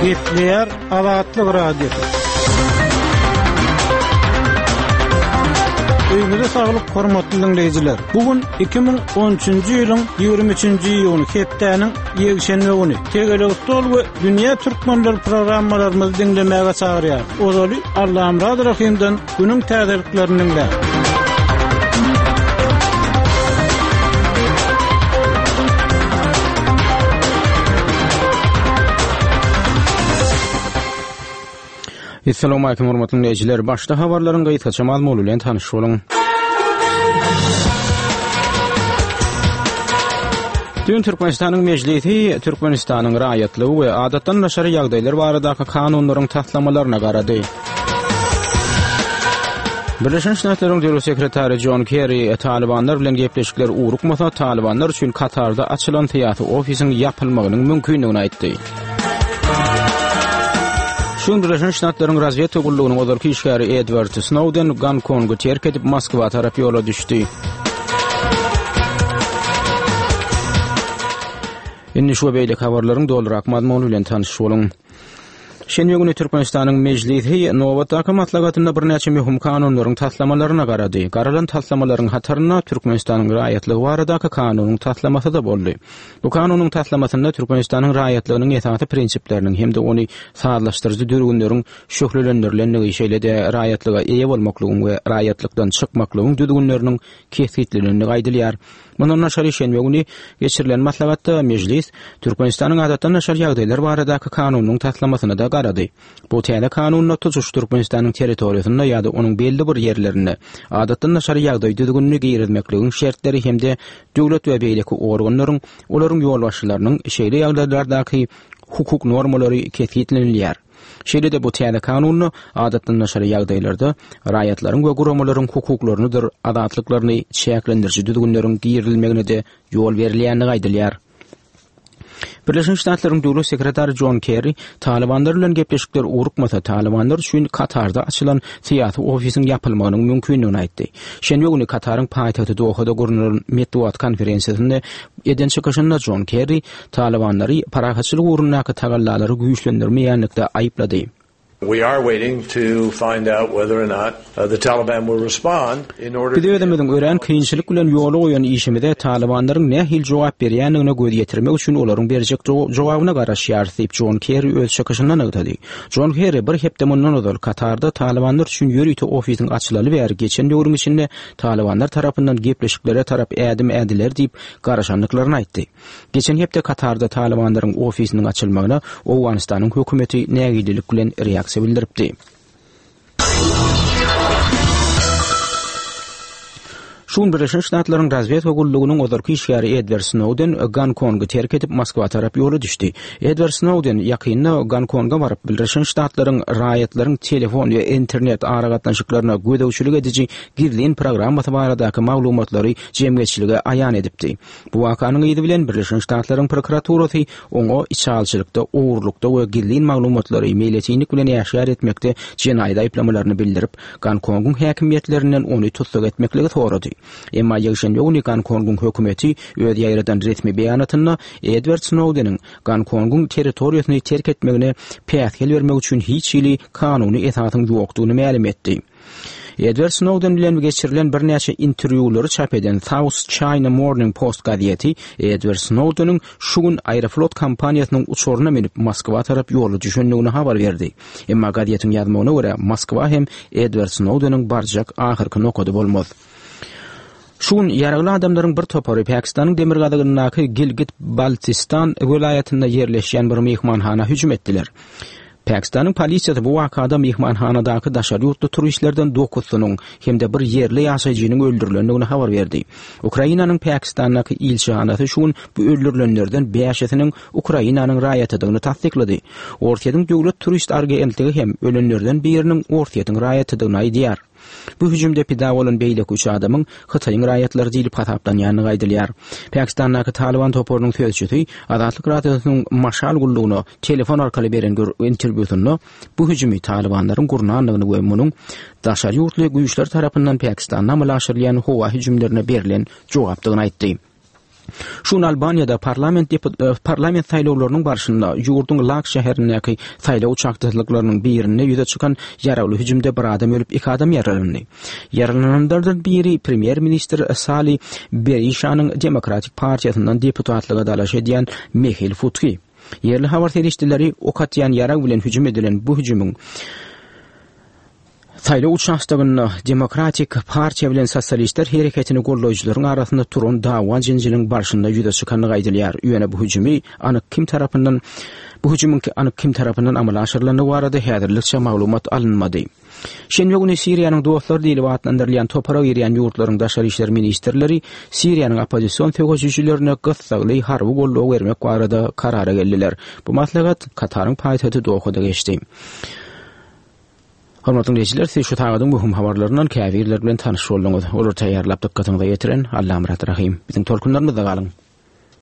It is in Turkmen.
Gepleýär Azatlyk Radiosy. Öýüňize saglyk hormatly diňleýjiler. Bu gün 2013-nji ýylyň 23-nji iýuny hepdäniň ýekşenbe güni. Tegelek stol we Dünýä türkmenleri programmalarymyzy diňlemäge çagyrýar. Ozaly Allamyrat Rahymdan günüň täzeliklerini diňläň. Assalamualaikum hormatly dinleýjiler. Başda habarlaryň gysgaça mazmuny bilen tanyş boluň. Düýn Türkmenistanyň Mejlisi Türkmenistanyň raýatlygy we adatdan daşary ýagdaýlar baradaky kanunlaryň taslamalaryna garady. Birleşen Ştatlaryň Döwlet sekretary Jon Kerri Talybanlar bilen gepleşikler ugrukmasa, Talybanlar üçin Katarda açylan syýasy ofisiň ýapylmagynyň mümkindigini aýtdy. Şu gün Birleşen Ştatlaryň razwedka gullugynyň ozalky işgäri Edward Snowden Gonkongy terk edip Moskwa tarap ýola düşdi. Indi şu we beýleki habarlaryň dolurak mazmuny bilen tanyş boluň. Şenbe güni Türkmenistanyň Mejlisi nobatdaky maslahatynda birnäçe möhüm kanunlaryň taslamalaryna garady. Garalan taslamalaryň hatarynda Türkmenistanyň raýatlygy baradaky kanunyň taslamasy-da boldy. Bu kanunyň taslamasynda Türkmenistanyň raýatlygynyň esasy prinsipleriniň hem-de ony sazlaşdyryjy düzgünleriň şöhlelendirilendigi, şeýle-de raýatlyga eýe bolmaklygyň we raýatlykdan çykmaklygyň düzgünleriniň kesgitlenendigi aýdylýar. Mundan daşary şenbe güni geçirilen maslahatda Mejlis Türkmenistanyň Adatdan daşary ýagdaýlar baradaky kanunynyň taslamasyna-da garady. Bu täze kanunda tutuş Türkmenistanyň territoriýasynda ýa-da onuň belli bir ýerlerinde adatdan daşary ýagdaý düzgünini girizmekligiň şertleri hem-de döwlet we beýleki organlaryň, olaryň ýolbaşçylarynyň şeýle ýagdaýlardaky hukuk normalary kesgitlenilýär. Şeýle-de bu täze kanunda adatdan daşary ýagdaýlarda raýatlaryň we guramalaryň hukuklarynydyr azatlyklaryny çäklendiriji düzgünleriň girizilmegine-de ýol berilýändigi aýdylýar. Birleşen Ştatlaryň Döwlet sekretary Jon Kerri Talybanlar bilen gepleşikler ugrukmasa, Talybanlar üçin Katarda açylan syýasy ofisiň ýapylmagynyň mümkindigini aýtdy. Şenbe güni Kataryň paýtagty Dohada gurnalan metbugat konferensiýasynda eden çykyşynda Jon Kerri Talybanlary parahatçylyk ugrundaky tagallalary güýçlendirmeýänlikde aýyplady. We are waiting to find out whether or not the Taliban will respond in order Biz özümiziň örän kynçylyk bilen ýola goýan işimize Talybanlaryň nähili jogap berýändigine göz ýetirmek üçin olaryň berjek jogabyna garaşýarys diýip, Jon Kerri öz çykyşynda nygtady. Jon Kerri bir hepde mundan ozal Katarda Talybanlar üçin ýörite ofisiň açylaly bäri geçen döwrüň içinde Talybanlar tarapyndan gepleşiklere tarap ädim ädiler diýip garaşandyklaryny aýtdy. Geçen hepde Katarda Talybanlaryň ofisiniň açylmagyna Owganystanyň hökümeti nägilelik bilen reaksiýa bildiripdi. Şu gün Birleşen Ştatlaryň razwedka gullugynyň ozalky işgäri Edward Snowden Gonkongy terk edip, Moskwa tarap ýola düşdi. Edward Snowden ýakynda Gonkonga baryp, Birleşen Ştatlaryň raýatlaryň telefon we internet aragatnaşyklaryna gözegçilik ediji gizlin programmasy baradaky maglumatlary jemgyýetçilige aýan edipdi. Bu wakanyň yzy bilen Birleşen Ştatlaryň prokuraturasy oňa içalyçylykda, ogurlykda we gizlin maglumatlary meýletinlik bilen äşgär etmekde jenaýat aýyplamalaryny bildirip, Gonkongyň häkimiýetlerinden ony tussag etmekligi sorady. Emma ýekşenbe güni Gonkongyň hökümeti öz ýaýradan resmi beýanatynda Edward Snowdeniň Gonkongyň territoriýasyny terk etmegine päsgel bermek üçin hiç hili kanuny esasyň ýokdugyny mälim etdi. Edward Snowden bilen geçirilen birnäçe interwýulary çap eden South China Morning Post gazeti Edward Snowdeniň şu gün Aeroflot kompaniýasynyň uçaryna münüp Moskwa tarap ýola düşendigini habar berdi. Emma gazetiň ýazmagyna görä, Moskwa hem Edward Snowdeniň barjak ahyrky nokady bolmaz. Şu gün ýaragly adamlaryň bir topary Pakistanyň demirgazygyndaky Gilgit-Baltistan welaýatynda ýerleşýän bir myhmanhana hüjüm etdiler. Pakistanyň polisiýasy bu wakada myhmanhanadaky daşary ýurtly turistlerden dokuzysynyň hem-de bir ýerli ýaşaýjynyň öldürilendigini habar berdi. Ukrainanyň Pakistandaky ilçihanasy şu gün bu öldürilenlerden bäşisiniň Ukrainanyň raýatydygyny tassyklady. Orsýetiň döwlet turist argentligi hem ölenlerden biriniň Orsýetiň raýatydygyny aýdýar. Bu hüjümde pida bolan beýleki üç adamyň Hytaýyň raýatlary diýlip hasaplanýandygy aýdylýar. Pakistandaky Talyban toparynyň sözçüsi Azatlyk Radiosynyň Maşal gullugyna telefon arkaly beren interwýusynda bu hüjümi talybanlaryň gurnandygyny we munuň daşary ýurtly güýçler tarapyndan Pakistanda amala aşyrylýan howa hüjümlerine berlen jogapdygyny aýtdy. Şu gün Albaniýada parlament parlament saýlawlarynyň barşynda ýurduň Lak şäherindäki saýlaw uçakdalyklarynyň birinde ýüze çykan ýaragly hüjümde bir adam ölüp, iki adam ýaralandy. Ýaralananlardan biri premýer-ministr Sali Berişanyň Demokratik partiýasyndan deputatlyga dalaş edýän Mehil Futki. Ýerli habar serişdeleri ok atýan ýarag bilen hüjüm edilen bu hüjümiň Saýlaw uçastogynda Demokratik partiýa bilen Sosialistler hereketini goldaýjylaryň arasynda turan dawa-jenjeliň barşynda ýüze çykandygy aýdylýar. Ýöne bu hüjümi anyk kim tarapyndan bu hüjümiň anyk kim tarapyndan amala aşyrylandygy barada häzirlikçe maglumat alynmady. Şenbe güni Siriýanyň dostlary diýlip atlandyrylýan topara girýän ýurtlaryň daşary işler ministrleri Siriýanyň oppozision söweşijilerine gyssagly harby goldaw bermek barada karara geldiler. Bu maslahat Kataryň paýtagty Dohada geçdi. Hormatly diňleýjiler, siz şu sagadyň möhüm habarlaryndan käbirleri bilen tanyş bolduňyz. Olary taýýarlap dykgatyňyza ýetiren Allamyrat Rahym. Biziň tolkunlarymyzda galyň!